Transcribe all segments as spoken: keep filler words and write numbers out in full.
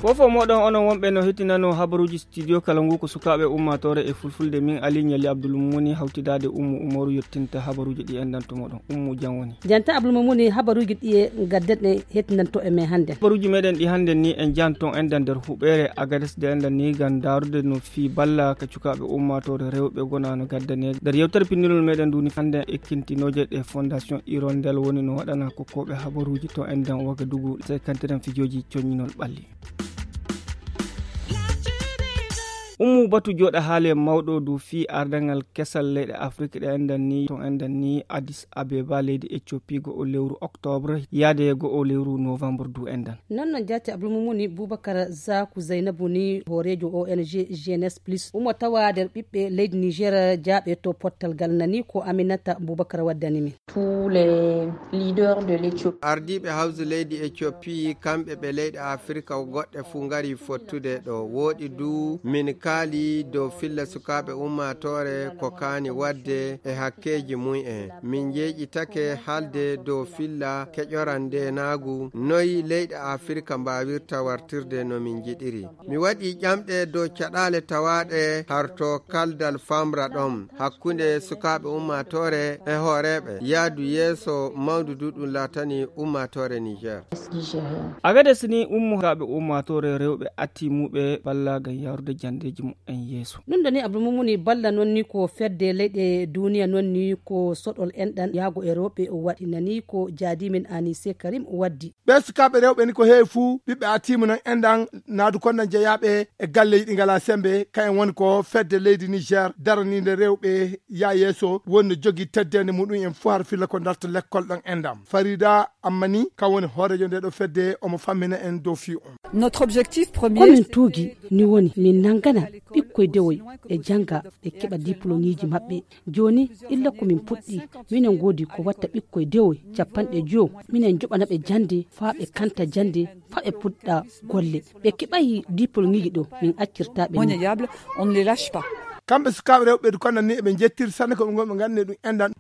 Fofo moɗon onon wonɓe no hettinano habaruji studio kala ngu ko sukaaɓe ummatore e fulfulde min ali ñali abdul mumuni hawtidaade ummu umaru yettinta habaruji ɗi endanto moɗon. Ummu jam woni. Janta abdul mumuni habaruji ɗi e gadden ɗe hettinanto e men hannde. Habaruji meɗen ɗi hannde ni en janton endan nder huɓere agades de endan ni gam darude no fi balla ka cukaaɓe ummatore rewɓe gonano gaddane nder yewtere pinnirol meɗen nduni hannde ekkintinooje ɗe fondation irondel woni no waɗana kokkooɓe habaruji to endan wagadugu sekantiren fijooji coñinol ɓalli. Ummu batu jooɗa haale mawɗo du fii ardangal kesal leyɗe afrik ɗe endan ni to endan ni adis abeba leydi ethiopie go o lewru octobre yaade go o lewru novembre du endan. Non non jaati abdulmumuni boubacar zaku zaynabu ni hooreejo ong jeunesse plus umo tawa nder ɓiɓɓe leydi niger jaaɓe to pottal gal nani ko aminata boubacar waddani min. Tous les leaders de l'Éthiopie. Ardiiɓe hawsu leydi ethiopie kamɓe ɓe leyɗe afirka goɗɗe fuu ngari fottude ɗo wooɗi du min kaali dow filla sukaaɓe ummaatoore ko kaani waɗde e hakkeeji mum en min njeeƴitake haalde dow filla keƴoran ndeenaagu noy leyɗe afirka mbaawirta wartirde no min njiɗiri. Mi waɗi ƴamɗe dow caɗaale tawaaɗe harto kaldal famra ɗon hakkunde sukaaɓe ummaatoore e hooreeɓe yaadu yeeso mawndu du ɗum laatani ummaatoore niger. Agades ni ummo sukaaɓe ummaatoore rewɓe atti muɓe balla ngam yarude janndeeji muɓɓen yeeso. Ɗum ɗo ni abdulmumuni balla noon ni ko fedde leyɗe duniya noon ni ko soɗol enɗan yaago e rewɓe o waɗi nani ko jaadimin anise karim o waddi. Ɓee sukaaɓe rewɓe ni ko heewi fuu ɓiɓɓe atiima nan enɗan naadu konnan jeyaaɓe e galleeji ɗi ngalaa semmbe kayen woni ko fedde leydi niger daraniinde rewɓe yaa yeeso woni no jogii teddeende muɗum en fuu har filla ko darta lekkol ɗon enɗan farida amma ni kam woni hooreejo ndee ɗo fedde omo fammina en dow fii on. Notre objectif premier komin tuugi ni woni min nanngana ɓikkoy dewoy e jannga ɓe keɓa diplomiiji maɓɓe. Jooni illa ko min puɗɗi minen ngoodi ko watta ɓikkoy dewoy capanɗe jowo minen joɓana ɓe jannde faa ɓe kanta jannde faa ɓe puɗɗa golle. Ɓe keɓayi diplomiiji ɗo min accirta ɓe. Kamɓe sukaaɓe rewɓe ɓeydu konnan ni eɓe njettiri sanne ko ɓe ngonɓe nganndi ɗum enɗan.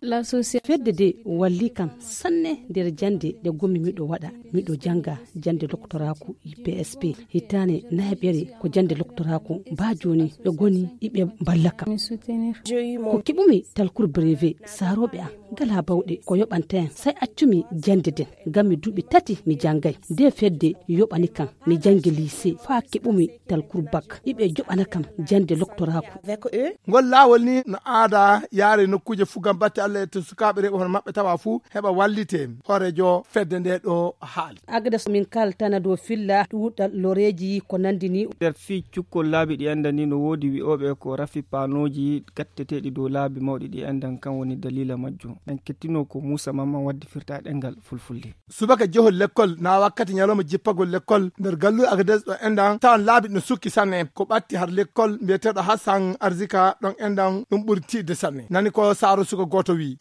Fedde de walli kam sanne nder jannde nde gommi miɗo waɗa miɗo jannga jannde loktoraaku. P S P hitaane nayaɓere ko jannde loktoraaku baa jooni ɓe goni iɓe mballa kam. Ko keɓumi talkur brevet saarooɓe am ngalaa bawɗe ko yoɓanta en say accumi jannde nden ngam mi duuɓi tati mi janngay nde fedde yoɓani kam mi janngi lycée faa keɓumi talkur bak iɓe joɓana kam jannde loktoraaku. Ngol laawol ni no aada yaare nokkuuje fuu ngam batte allah e to sukaaɓe rewɓe hono maɓɓe tawa fuu heɓa wallite. Hooreejo fedde nde ɗo haali. Agades min kaltana dow filla ɗuuɗal loreeji ko nanndi ni. Nder fii cukkol laabi ɗi enɗan ni no woodi wi'ooɓe ko rafi paanooji gatteteeɗi dow laabi mawɗi ɗi enɗan kan woni daliila majjum en kettinoo ko muusa mamman waddi firta e ɗemngal fulfulde. Subaka jehol lekkol na wakkati ñalawma jippagol lekkol nder galluure agades ɗo enɗan tawan laabi no sukki sanne ko ɓatti har lekkol mbiyeteeɗo hassan arzika ɗon enɗan ɗum ɓuri tiiɗde sanne nani ko saaro suka gooto wii.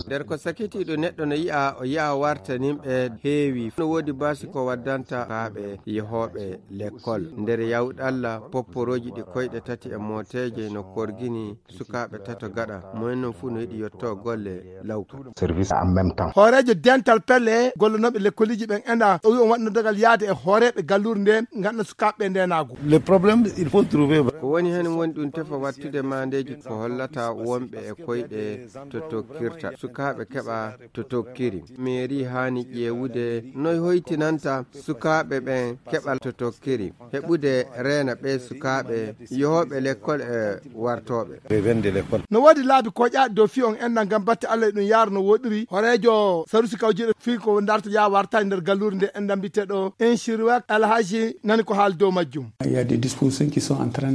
Nder ko sakitiiɗo neɗɗo no yi'a o yi'a wartaninɓe heewi no woodi baasi ko waddanta kaaɓe yehooɓe lekkol nder yawɗalla popporooji ɗi koyɗe tati e mooteeje no korgini sukaaɓe tato gaɗa moyen non fuu no yiɗi yetto golle lawka. Service en même temps hooreejo dental pelle gollanooɓe lekkoliiji ɓen enda o wi on waɗno dagal yaade e hooreeɓe galluure nde nganna sukaaɓe ɓe ndenaagu. Le problème il faut trouver ko woni heen woni ɗum tefa wattude maandeeji ko hollata wonɓe e koyɗe to tokkirta sukaaɓe keɓa to tokkiri. Mairie haani ƴeewude noy hoytinanta sukaaɓe ɓen keɓal to tokkiri heɓude reena ɓee sukaaɓe yehooɓe lekkol e wartooɓe. No woodi laabi koƴaaɗi dow fii on enɗan ngam batte allah e ɗum yaara no wooɗiri horeejo sarusi kawjiiɗo fii ko darto yaa wartaani nder galluure nde enɗan mbiyeteeɗo inchirwek alhaji nani ko haali dow majjum.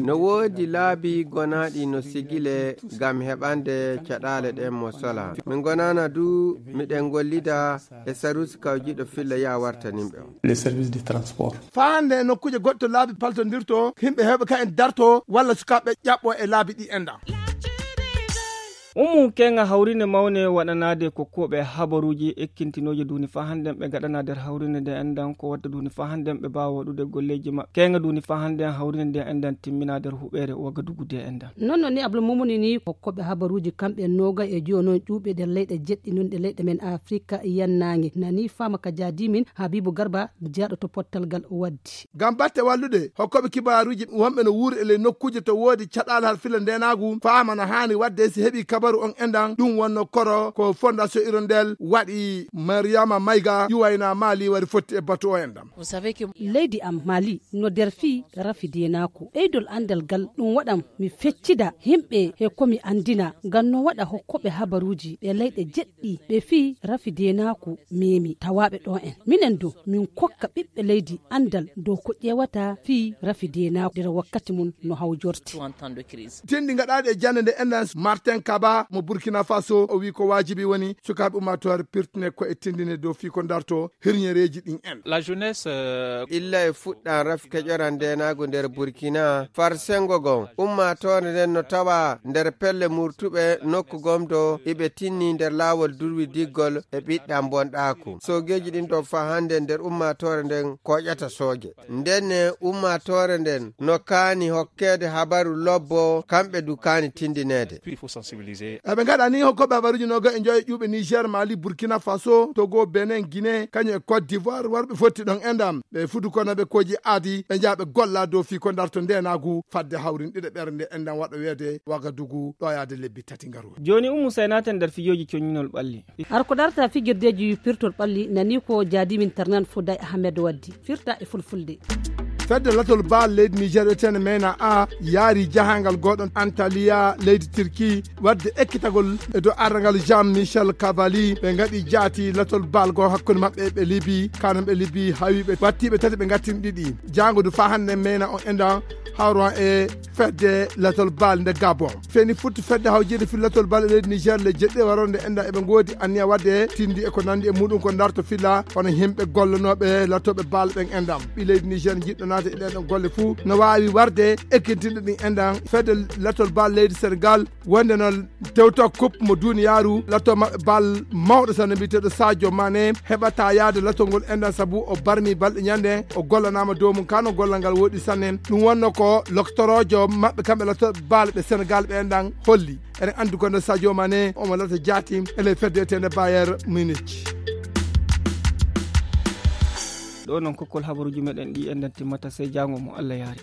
No woodi laabi gonaaɗi no sigile ngam heɓande caɗaale ɗen mo sola min gonaana du miɗen gollida e sarusi kawjiiɗo filla yaa wartaninɓe on. Les services de transport. Faa hannde e nokkuuje goɗɗe to laabi paltondirto yimɓe heewɓe ka en darto walla sukaaɓe ƴaɓɓo e laabi ɗi enɗan. Umu keŋa hawrine mawne waɗanaade ko koɓe habaruuji ekkintinooje duuni faa hannden ɓe ngaɗanaa nder hawrine nde enndan ko watta duuni faa hannden ɓe mbaawa waɗude golleeji maɓɓe. Keŋa duuni faa hannden hawrine nde enndan timminaa nder huɓeere Wagadugu nde enndan. Non non ni Abdul Mumuni ni ko koɓe habaruuji kamɓe nooga e jooni on ƴuuɓe nder leyɗe jeɗɗi non ɗe leyɗe men Afrika yannaange. Nani faama ka jaadimin Habibu Garba jaaɗo to pottal gal waddi. Ngam batte wallude hokkooɓe kibaaruuji wonɓe no wuuri e ley nokkuuje to woodi caɗaale har filla ndeenaagu, faama no haani waɗde si heɓi kabaru on enɗan. Ɗum wonno koro ko Fondation Hirondelle waɗi. Mariama Mayga yuwayna Mali wari fotti e batu o enɗan. Leydi am Mali no nder fii rafi deenaaku. Ɓeydol anndal gal ɗum waɗam mi feccida yimɓe he ko mi anndina ngam no waɗa hokkooɓe habaruuji ɓe leyɗe jeɗɗi ɓe fii rafi deenaaku memi tawaaɓe ɗo en. Minen du min kokka ɓiɓɓe leydi anndal dow ko ƴeewata fii rafi deenaaku nder wakkati mum no hawjorti. Tinɗi gaɗaaɗi e jannde nde enɗan Martin Kaba mo Burkina Faso o wii ko waajibi woni sukaaɓe ummaatoore pirtine ko e tinndine dow fii ko darto hirñereeji ɗin en. La jeunesse, euh, illa e fuɗɗan rafi keƴoran ndeenaagu nder Burkina far senngo gon ummaatoore nden no tawa nder pelle murtuɓe nokku gomdo iɓe tinni nder laawol durwidiggol e ɓiɗɗan bonɗaaku. Soogeeji ɗin ɗo faa hannde nder ummaatoore nden koƴata sooje. Ndenne ummaatoore nden no kaani hokkeede habaru lobbo, kamɓe du kaani tindineede. Eɓe ngaɗa ni hokkooɓe habaruuji nooga e njoyo ƴuuɓe Niger, Mali, Burkina Faso, Togo, Benin, Guinée, kañum e Côte d'Ivoire, warɓe fotti ɗon enɗan. Ɓe fudu kono ɓe koji aadi, ɓe njaha ɓe golla dow fii ko darto ndeenaagu fadde hawrin ɗiɗaɓere nde enɗan waɗa weede Wagadugu ɗo yaade lebbi tati ngaru. Jooni Ummu Say naaten nder fijooji coñinol ɓalli. Har ko darta fijirdeeji pirtol ɓalli nani ko jaadimin Tarnan Fouday Ahmed waddi. Firta e fulfulde. Fedde latol baal leydi Niger wiyetende mena a yaari jahangal goɗon Antalya leydi Turki wadde ekkitagol e dow arrangal Jean Michel Cavalli. Ɓe ngaɗi jaati latol baal go hakkunde maɓɓe ɓe Libi, kanon ɓe Libi hawi ɓe wattiɓe tati ɓe ngattini ɗiɗi. Jango du fa hande mena on enɗan hawron e fedde latol baal nde Gabon. Feni futti fedde hawjirde fil latol baal e leydi Niger le jeɗɗe waronde enɗan eɓe ngoodi anniya wadde tindi e ko nandi e muɗum ko darto filla kono yimɓe gollanoɓe latoɓe baal ɓen enɗan. Ɓi leydi Niger jiɗɗo naata e ɗen ɗon golle fuu no waawi warde ekkintinɗe ɗin enɗan. Fedde latol baal leydi Senegal wonde no tewto coupe mo duniyaaru, lato maɓɓe bal mawɗo sanne mbiyeteeɗo Sadio Mané heɓata yaade latol ngol enɗan sabu o barmi balɗe ñande o gollanaama dow mum kano gollal ngal woɗi sanne. Ɗum wonno ko loktoroojo maɓɓe kamɓe lato bal ɓe Senegal ɓe enɗan holli. Eɗen anndi kono Sadio Mané omo lata jaati e ley fedde etende Bayern Munich. Ɗo noon kokkol habaruuji meɗen ɗi enɗan timmata sey jaango mo Allah yaari.